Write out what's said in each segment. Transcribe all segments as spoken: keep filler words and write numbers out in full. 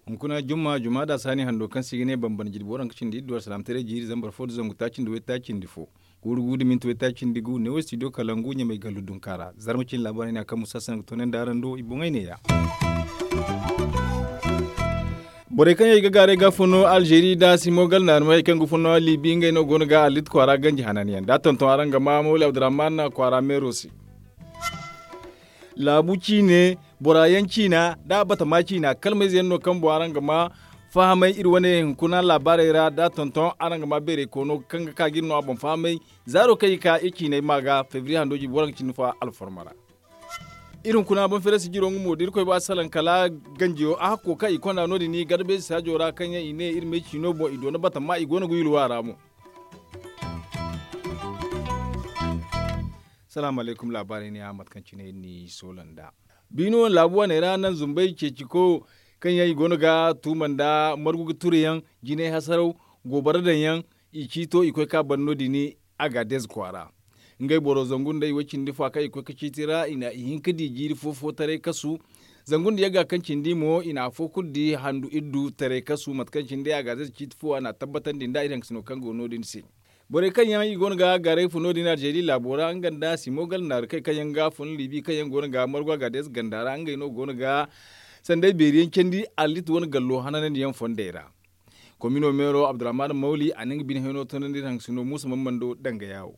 Hunkuna jumma jumma da saani hando kaŋ se i ga ne bambara jirbi waranka cindi iddu alsalaamataray jiiri zambar fo nda zangu taaci nda waytaaci nda fo, guuru gu nda minti waytaaci nda gu neewo studio kalangu ɲamay gallu dunka ra. Zarma cine laabaarey no ya kaŋ musa sanaŋ ga toonandi araŋ do i boŋey neeya. Borey kaŋ yaŋ i ga gaaray ga fun no alzeeri nda simo gal naarumey kaŋ ga fun no libi ngey no go no ga allit kwaara ganji hananyaŋ da a tonton araŋ ga ma mawli abdurrahman kwaara meero se. Laabu ciine bora yaŋ ciina nda batama ciina kalmayze yaŋ no kaŋ boŋ araŋ ga ma fahamay iri wane hunkuna laabaarey ra da a tonton araŋ ga ma beeray koono kaŋ ga ka ga iri no a boŋ fahamay. Zaaro kaŋ i ga ka iri ciinay ma ga febriye hando jiibi waranka cindi fo alfarma ra. Iri hunkuna boŋ feere si jiro nga mo da irkoy ba salaŋ kala ganjiyo a hakko kaŋ i konda no- din garbeesi saajo ra kaŋ yaŋ i ne iri me ciino boŋ i doona batama i go no ga yulwa ra mo. Salaamu alaykum laabaarey ne a mate kaŋ cine iri n'i soola nd'a. Biino wane laabu wane ra naŋ zumbay ceeci ko kaŋ yaŋ i go no ga tuuma nda margu ga turu yaŋ jinay hasaraw goobara daŋ yaŋ i ciito i koy ka ban no- din. Agaadez kwaara ngey boro zangu nda i way cindi fo a kaŋ i koy ga ciiti ra i na i hin ga di jiiri fo fo taray kasu. Zangu nda yagga kaŋ cindi mo i na afo kulu di handu iddu taray kasu mate kaŋ cindi agaadez ciiti fo a na a tabbatandi nda iri hangasino kaŋ go no- din se. Borey kaŋ yaŋ i go no ga gaaray fun no- din alzeeri laabo ra nga nda simo gala naari kay kaŋ yaŋ ga fun libi kaŋ yaŋ go no ga margu agaadez ganda ra ngey no go no ga sanday beeri yaŋ candi allit wane gallo hananandi yaŋ fondey ra. Komino meero abdurrahman mawli a na nga bine hayno toonandi iri hangasino muusa mammando danga yaawo.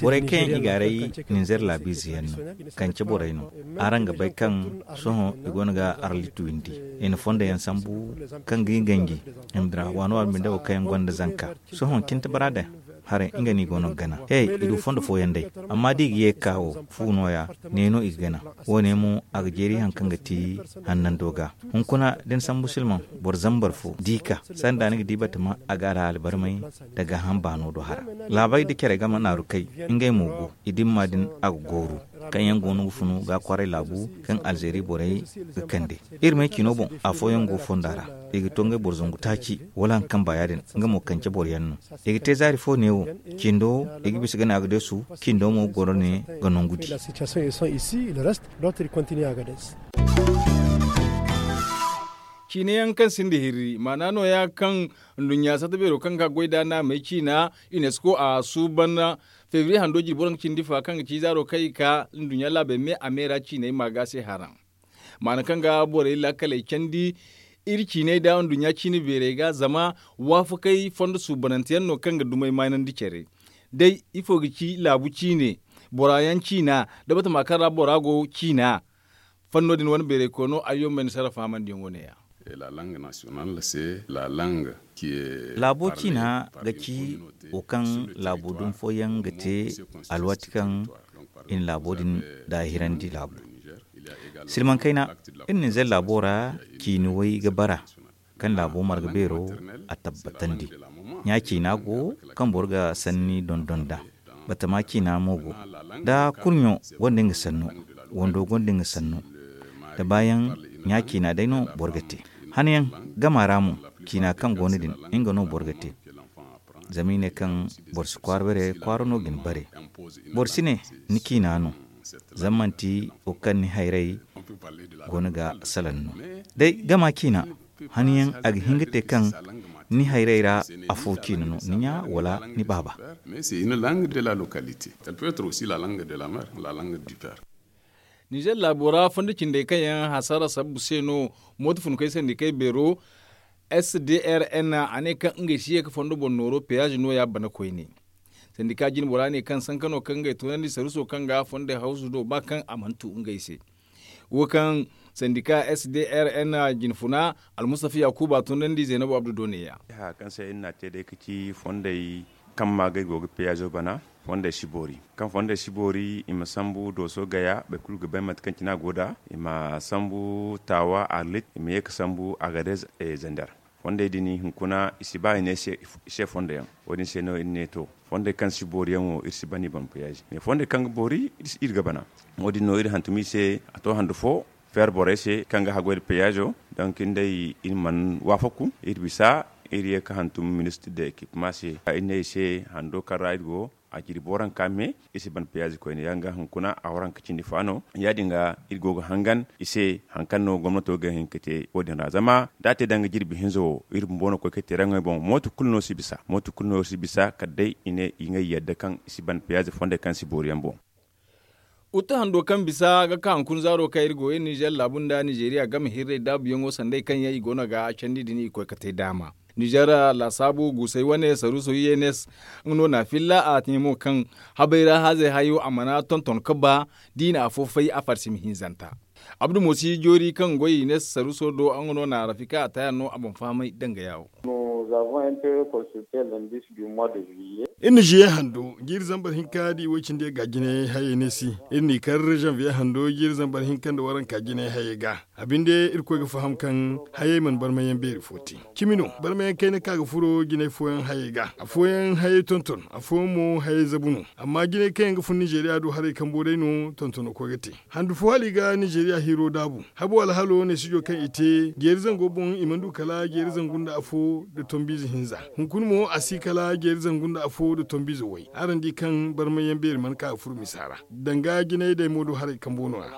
Borey kaŋ yaŋ i gaaray ninzeer laabiize yaŋ no kance borey no. Araŋ ga bay kaŋ sohõ i go no ga arlit windi i na fondo yaŋ sambu kaŋ ga i ganji i ma dira waano waano binde wo kaŋ yaŋ gonda zanka. Sohõ cinta bara daŋ haray nga no i go no ga gana he i du fondo fooyaŋ day. Amma da i ga ye ga ka wo fu nooya ne no i ga gana. Wo- ne mo a ga jeeri hari kaŋ ga ti hannando ga hunkuna da ni sambu silmaŋ boro zambar fo da i ka sanda ni ga di batama a ga alhaali barmay nda gaaham baano do hara. Laabey nda care game naaru kay ngey mo go i dimma din a ga gooru kaŋ yaŋ go no ga funu ga kwaray laabu kaŋ alzeeri borey ga kande. Iri may ciino boŋ afooyaŋ go fonda ra i ga to ngey boro zangu taaci wala hari kaŋ ba ya- din nga mo kance boro yaŋ no. I ga te zaari fo neewo cindo i ga bisa ga ne agadesu cindo mo goro ne ga nangu di. Ciine yaŋ kaŋ sinda hirri maana nooya kaŋ nduɲɲa satta beero kaŋ ga goy da naamey ciina unesco a suuban febriye hando jirbi waranka cindi fa kaŋ ga ci zaaro kaŋ i ka nduɲɲa laabey me a me ra ciiney ma ga se haraŋ. Maana kaŋ ga borey laakaley candi iri ciiney da nduɲɲa ciine beerey ga zama waafakey fondo suubanante yaŋ no kaŋ ga dumey maanandi care. Day ifo ga ci laabu ciine bora yaŋ ciina nda batama kaŋ ra bora go ciina. Fanno din wane beeray koono ay yaŋ ma ni sarrafa hamandi yaŋo ne- ya. Laabo ciina ga ci wo kaŋ laabu dumi fooyaŋ ga te alwaati kaŋ i na laabo din daahirandi laabu silmaŋ kayna. Iri na ni zay laabo ra ciini way ga bara kaŋ laabo marga beero a tabbatandi. Ɲa ciina go kaŋ boro ga sanni dondon nd'a. Batama ciina mo go da kurɲo gonda nga sanno wando gonda nga sanno. Da baayaŋ ɲa ciina day no boro ga te. Hanayaŋ gama ra mo ciina kaŋ go no din nga no boro ga te. Zama i ne kaŋ boro si kwaara bare kwaara no ga ni bare. Boro si ne ni ciina no zama manti wo kaŋ ni hayray go no ga salaŋ no. Day gama ciina hanayaŋ a ga hin ga te kaŋ ni hayray ra afo ciina no ni ɲa wala ni baaba. Nizer laabo ra fondo cindey kaŋ yaŋ hasara sabbu se no mooto funkey sandikey beero sdrn a ne kaŋ ngey si ye ga fondo boŋ nooro peyaaze nooya bana koyne. Sandika jine bora ne kaŋ sanka no kaŋ ngey toonandi saruso kaŋ ga fondey hawsu do ba kaŋ a mana tu ngey se. Wo kaŋ sandika sdrn jinfuna almustafa yakuba toonandi zaynabu abdu do neeya. Kaŋ se iri na a te day ga ci fondey kaŋ maagay go ga peyaazo bana. Fondey si boori kaŋ fondey si boori i ma sambu dooso gaya boro kulu ga bay mate kaŋ cine a go nd'a. I ma sambu taawa arlit i ma ye ga sambu agadez. Zandar fondey din hunkuna i si ba i ne i se fondey yaŋ. Wo- din se no iri ne to fondey kaŋ si boori yaŋ wo iri si ban i boŋ peyaazi mais fondey kaŋ ga boori iri ga bana. Wo- din no iri hantum i se a to handu fo feer borey se kaŋ ga haggoy nda peyaazo. Donk iri nd'ey iri mana waafaku iri bisa Iri ye ga hantum ministir de ekipma se, iri ne i se hando kaŋ ra iri go, a jirbi waranka me. Iri si ban peyaazi koyne yaŋ ga hunkuna a waranka cindi fa no. Ya- din ga iri go ga hangan i se hari kaŋ no gomnato ga hin ga te wo- din ra zama da a te danga jirbi hinza wo iri bumbo no ga koy ga te raŋey boŋ mooto kulu no si bisa kala day i ne i ga ay yadda kaŋ i si ban peyaazi fondey kaŋ si boori yaŋ boŋ. Utte hando kaŋ bisa ga ka hunkuna zaaro kaŋ iri go iri ninzeer laabu nda ninzeeriya game hirrey daabuyaŋo sanday kaŋ yaŋ i go no ga candi din i koy ga te daama. Ninzeer laasaabu guusay wane saruuso yenes nga no na a filla a te mo kaŋ habay ra haazey hayo a mana tonton ga ba da i na afo fay a farsimi hinzanta. Abdu mo si joori kaŋ goy i ne saruuso do nga no na rafika a taya no a boŋ fahamay danga yaawo. Iri na ziye hando jiiri zambar hinka da i way cindi ga jinay hayey ne si. Iri n'i kar zanviye hando jiiri zambar hinka nda waranka jinay hayey ga. A binde irkoy ga faham kaŋ hayey mana barmayaŋ beeri fo te. Cimi no barmayaŋ kayna kaŋ a ga furo jinay fooyaŋ hayey ga. Afooyaŋ hayey tonton, afooyaŋ mo hayey zabu no. Amma jinay kaŋ yaŋ ga fun ninzeeriya do haray kambo day no tontono koy ga te. Handu fo hala i ga ninzeeriya hiiro daabu. Habo alhalo neesijo kaŋ i te jeeri zango boŋ i mana du kala jeeri zangu nda afo nda tombiize hinza. Hunkuna mo a si kala jeeri zangu nda afo nda tombiize way. Araŋ di kaŋ barmayaŋ beeri mana ka ga furo misa ra. Danga jinay day mo do haray kambo no- ya.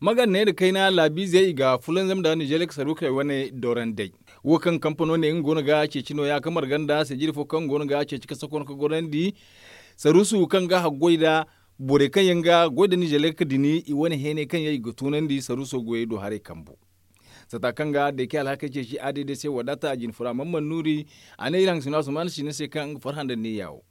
Maganney nda kayna laabiizey i ga fulanzam nda ninzeer saruukey wane dorandey. Wo kaŋ kampano ne nga go no ga ceeci no- ya ga marga nda sijiri fo kaŋ go no ga ceeci ka sokon ka gorandi saruusu kaŋ ga haggoy nda borey kaŋ yaŋ ga goy nda ninzeer ka dini i wane heeney kaŋ yaŋ i ga tunandi saruuso goyey do haray kambu. Sata kaŋ ga deeke alhakey ceeci a day day se wadaata a jine fura man man nuuri. A ne iri hangasino asumaana siina se kaŋ nga farhã nda neeya wo.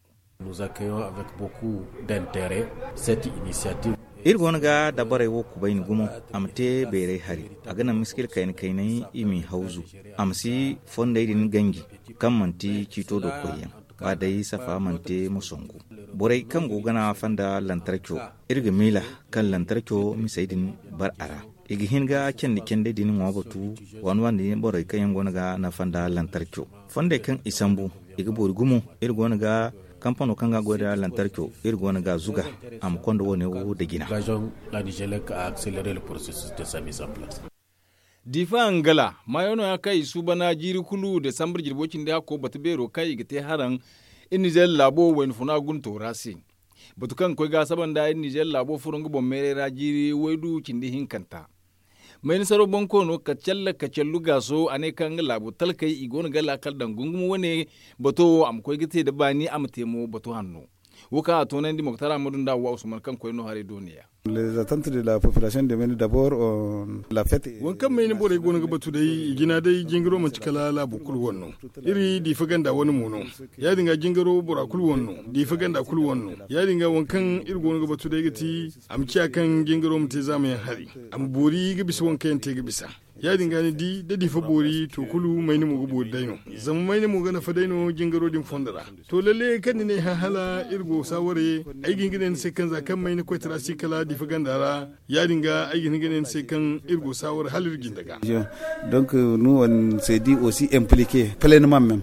Iri go no ga dabarey wo kubayni gumo. A ma te bayray hari a ga naŋ miskila kayna kaynay i m'i hawzu. A ma si fondey din ganji kaŋ manti ciito do koyyaŋ ba day safa mana te ma songu. Borey kaŋ go gana fonda lantarco, iri ga miila kaŋ lantarco misey din bar a ra. I ga hin ga candi candey din ŋwa batu waani waani din borey kaŋ yaŋ go no ga nafa nda lantarco. Fondey kaŋ i sambu i ga boori gumo. Iri go no ga kampano kaŋ ga goy nda lantarco iri go no ga zuga a ma konda wo- ne wo nda jina. Diifa angala maayo no- ya kaŋ i suubana jiiri kulu desambar jirbo cindi hakko batu beero kaŋ i ga te haraŋ. Iri nizeer laabo wayna funa gunto ra se. Batu kaŋ ga koy ga saba nda iri nizeer laabo furo nga boŋ meeray ra jiiri waydu cindi hinkanta. Mayna saro boŋ koono kacalla kacallu gaaso a ne kaŋ nga laabo talkey i go no ga laakal daŋ gungumo wane. Bato wo a ma koy ga te nda baani a ma te mo bato hanno. Wo kaŋ a toonandi moktar ahmadu nda hawwa usman kaŋ koy no haray dooniya. Waŋ kaŋ mayni borey go no ga batu day i jina day jingaro manti kala laabo kulu wane no. Iri diifa ganda wane mo no. Ya- din ga jingaro bora kulu wane no. Diifa ganda kulu wane no. Ya- din ga waŋ kaŋ iri go no ga batu day ga ti a ma ciya kaŋ jingaro ma te zaamayaŋ hari. A ma boori ga bisa waŋ kaŋ yaŋ te ga bisa. Ya- din ga ni di da diifa boori to kulu mayni mo ga boori day no. Zama mayni mo ga nafa day no jingaro din fondo ra. To lalle kaŋ ni ne hã hala iri go saaware. Ay ga hin ga ne ni se kaŋ za kaŋ mayni koytara si kala diifa ganda ra. Ya- din ga ay ga hin ga ne ni se kaŋ iri go saaware hala iri jinde ga. Donc nous on s'est dit aussi impliquer pleinement même.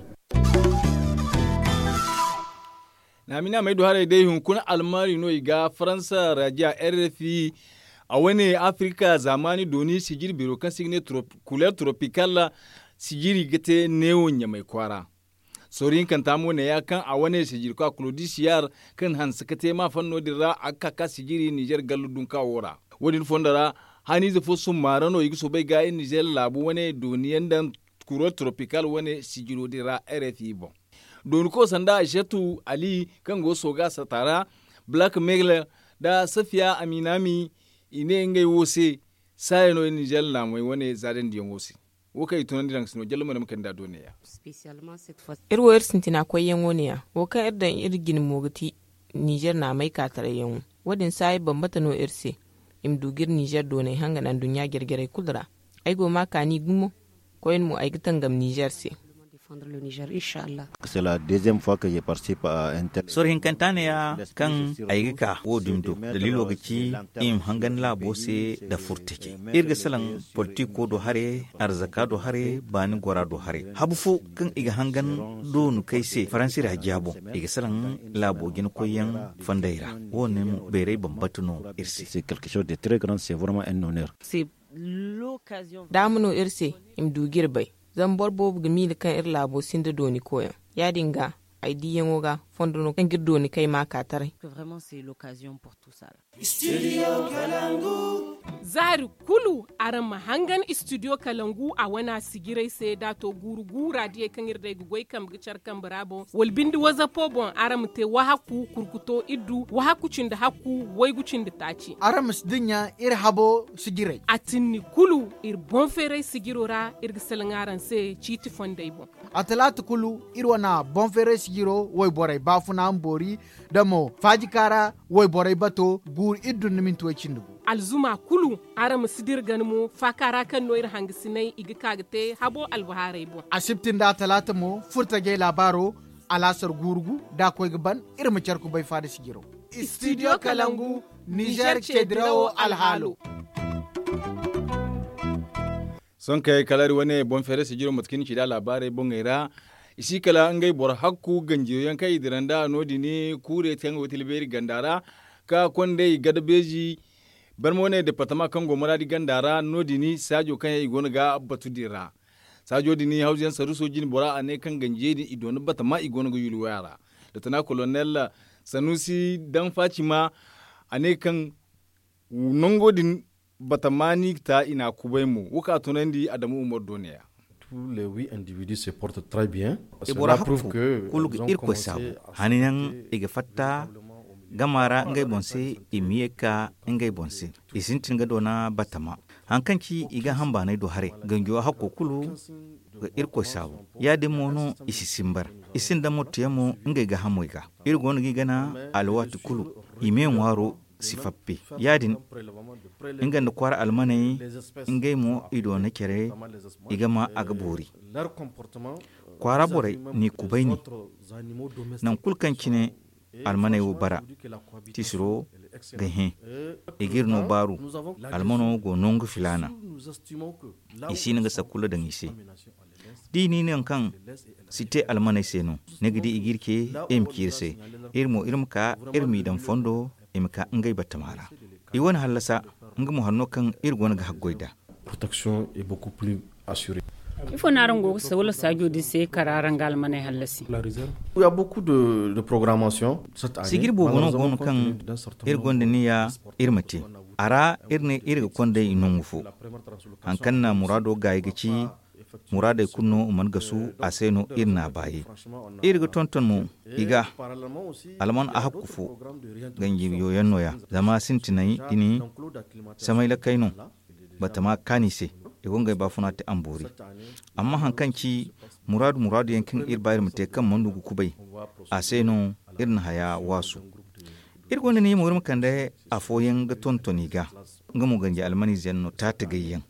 Naamina may du haray day hunkuna almaari no i ga faransa rajiya rfi. A wane afirika zaamaani dooni sijiri beero kaŋ se i ga ne kuleer tropikal. Sijiri ga te neewo ɲamay kwaara. Sooru hinkanta mo ne ya kaŋ a wane sijiri kwa kulodisiyar kaŋ hanse ka te maafanno din ra a ga ka ka sijiri nizer gallu dunka wo ra. Wo- din fondo ra haniize fo summaara no i ga soobay ga iri nizer laabu wane dooniyaŋ daŋ kuro tropikal wane sijiro din ra rfi boŋ. Dooni ko sanda aysatu ali kaŋ go sooga sata ra black mailer nda safiya aminami. I ne ngey wo se saaya no iri nizer laamey wane zaadandiyaŋo se. Wo kaŋ i tunandi daŋ si no jallo ma ne ma kande a do neeya. Iri wo iri sintina koyyaŋo neeya wo kaŋ iri daŋ iri jine mo ga ti nizer naamey ka tarayyaŋo. Wo- din saaya bambata no iri se. I ma du ga iri nizer doonay hangana nduɲɲa jare jarey kulu ra. Ay go ma kaani gumo. Koyne mo ay ga tangam nizer se. Soro hinkanta neeya kaŋ ay ga ka wo- din do daliilo ga ci i ma hangan laabo se nda furtacey. Iri ga salaŋ politiko do hare, arzaka do hare, baani gora do hare. Habu fo kaŋ i ga hangan doonukey se faransi ra jaabo i ga salaŋ laabo jinakoyyaŋ fondey ra. Wo- ne mo bayray bambata no iri se. Daama no iri se i ma du ga iri bay. Zama boro boobo ga miila kaŋ iri laabo sinda dooni koyaŋ. Ya- din ga ay diiyaŋo ga fondo no kaŋ ga iri dooni kay ma ka taray. Za hari kulu araŋ ma hangan istidiyo kalangu a wana sijirey se da a to guuru guura diyey kaŋ iri day ga goy kambe ga care kambe ra boŋ wala bindi wazapo boŋ araŋ ma te wahakku kurkuto iddu wahakku cindi hakku waygu cindi taaci. Araŋ ma si dinya iri habo sijirey. A tinni kulu iri boŋ feeray sijiro ra iri ga salaŋ araŋ se ciiti fondey boŋ. A talaata kulu iri wana boŋ feeray sijiro wayborey baafuna ma boori da mo faajika ra wayborey bato guuru iri dun ni minti way cindi gu. Alzuma kulu araŋ ma si dira gana mo faaka ra kaŋ no iri hangasinay i ga ka ga te habo albahaarey boŋ. Asibti nda talaata mo furtajey laabaaro alaasar guuru gu da a koy ga ban iri ma care kubay faada sijiro. Istidiyo kalangu nizer ceedirawo alhaalo. Sohõ kay kala iri wane boŋ feeray sijiro mate kaŋ ni ci nd'a laabaarey boŋey ra. I si kala ngey boro hakku ganjiyo yaŋ kaŋ i dira nd'a no- din kuurey te kaŋ go ga tila beeri ganda ra ka kondey gada beeji. Barma wane departama kaŋ go maraadi ganda ra no- din saajo kaŋ yaŋ i go no ga batu din ra. Saajo din hawzu yaŋ saruuso jine bora a ne kaŋ ganjiyey din i doona batama i go no ga yuuli waya ra. Dotona kolonel sanuusi daŋ faacima a ne kaŋ nango din batama no i ga ta i n'a kubay mo wo kaŋ a tunandi adamu umar do ne- ya. Tous les huit individus se portent très bien. I bora hakku kulu ga irkoy saabu hani yaŋ i ga fatta gama ra ngey boŋ se i ma ye ga ka ngey boŋ se. I sintin ga doona batama hari kaŋ ci i ga hambaanay do haray ganjo hakko kulu ga irkoy saabu. Ya- din mo no i si simbar i sinda motto yaŋ mo ngey gaahamoy ga. Iri go no ga i gana alwaati kulu i me ŋwaaro si fappe. Ya- din nga nda kwaara almaney ngey mo i doona care i ga ma a ga boori. Kwaara borey n'i kubayni nangu kulu kaŋ cine almaney wo bara tiisiro ga hẽ. I g'iri no baaru almano go nangu filaana. I si no ga sakkula daŋ i se da i n'i ne nangu kaŋ si te almaney se no ni ga di i g'iri ce i ma ci iri se. Iri mo iri ma ka iri m'i daŋ fondo i ma ka ngey batama ra. I wane hallasa nga mo hari no kaŋ iri go no ga haggoy nd'a. Protection est beaucoup plus assurée. Ifo no araŋ go ga sawla saajo din se kara araŋ ga almaney hallasi? Sijiri boobo no go no kaŋ iri gonda niya iri ma te. A ra iri ne iri ga konda i nangu fo. Hari kaŋ na muraado gaayi ga ci muraadey kulu no mana gasu a se no iri n'a baayi. Iri ga tonton mo i ga alman a hakku fo ganji yooyaŋ no- ya zama sintinay din samay lakkay no. Batama kaani se i go ngey baafuna te a ma boori. Amma hari kaŋ ci muraadu muraadu yaŋ kaŋ iri ba iri ma te kaŋ mana du ga kubay a se no iri na haya waasu. Iri gonda niya mo iri ma kande afooyaŋ ga tonton i ga nga mo ganji almaniize yaŋ no taatagay yaŋ.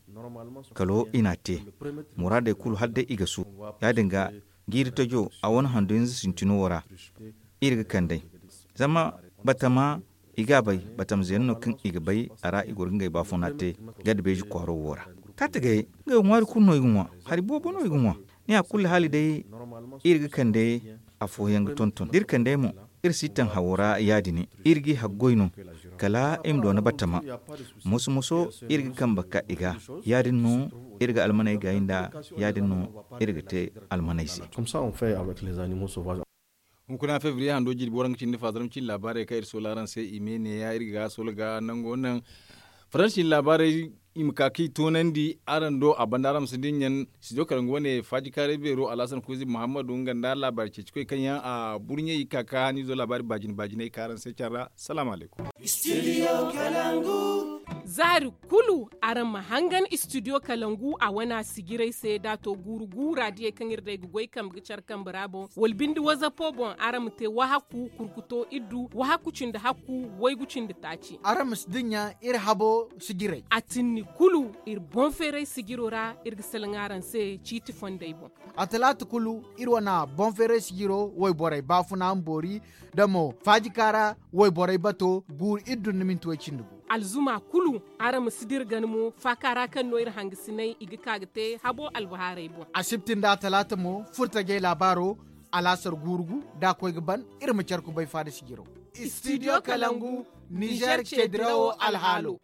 Kalo i n'a te muraadey kulu hala day i ga su. Ya- din ga jiiri tajo a wane handu hinza sintino wo ra iri ga kand'ey. Zama batama i ga a bay batamze yaŋ no kaŋ i ga bay a ra i goro ga ngey baafuna te gada beeji kwaaro wo ra. Taatagayey ngey wo ŋwaari kulu no i ga ŋwa. Hari boobo no i ga ŋwa. Ni a kulu haali day iri ga kande afooyaŋ ga tonton da iri kand'ey mo iri si taŋ hawo ra ya-din iri g'i haggoy no. Kala i ma doona batama moso moso iri ga kambe ka i ga. Ya-din no iri ga almaney gaayi nd'a. Ya-din no iri ga te almaney se. Hunkuna febriye hando jirbi waranka cindi faazara ma cindi laabaarey kaŋ iri soola araŋ se i me neeya iri ga soola ga nango naŋ faransi cindi laabaarey i ma ka kaŋ i toonandi araŋ do a banda araŋ ma si dinya. Studio karangu wane faajikaaray beero alhasan kuuzi muhammadu nga nda laabaari ceecikoy kaŋ yaŋ a burɲey i ka ka haniizo laabaari baajine baajiney ka araŋ se care ra. Salaamu alaykum. Zaari kulu araŋ ma hangan istidiyo kalangu a wana sijirey se da a to guuru guura diyey kaŋ iri day ga goy kambe ga care kambe ra boŋ wala binde wazapo boŋ araŋ ma te wahakku kurkuto iddu wahakku cindi hakku waygu cindi taaci. Araŋ ma si dinya iri habo sijirey. A tinni kulu iri boŋ feeray sijiro ra iri ga salaŋ araŋ se ciiti fondey boŋ. A talaata kulu iri wana boŋ feeray sijiro wayborey baafuna ma boori da mo faajika ra wayborey bato guuru iri dun ni minti way cindi gu. Alzuma kulu araŋ ma si dira gana mo faaka ra kaŋ no iri hangasinay i ga ka ga te habo albahaarey boŋ. Asibti nda talaata mo furtajey laabaaro alaasar guuru gu da a koy ga ban iri ma care kubay faada sijiro. Istidiyo kalangu nizer ceedirawo alhaalo.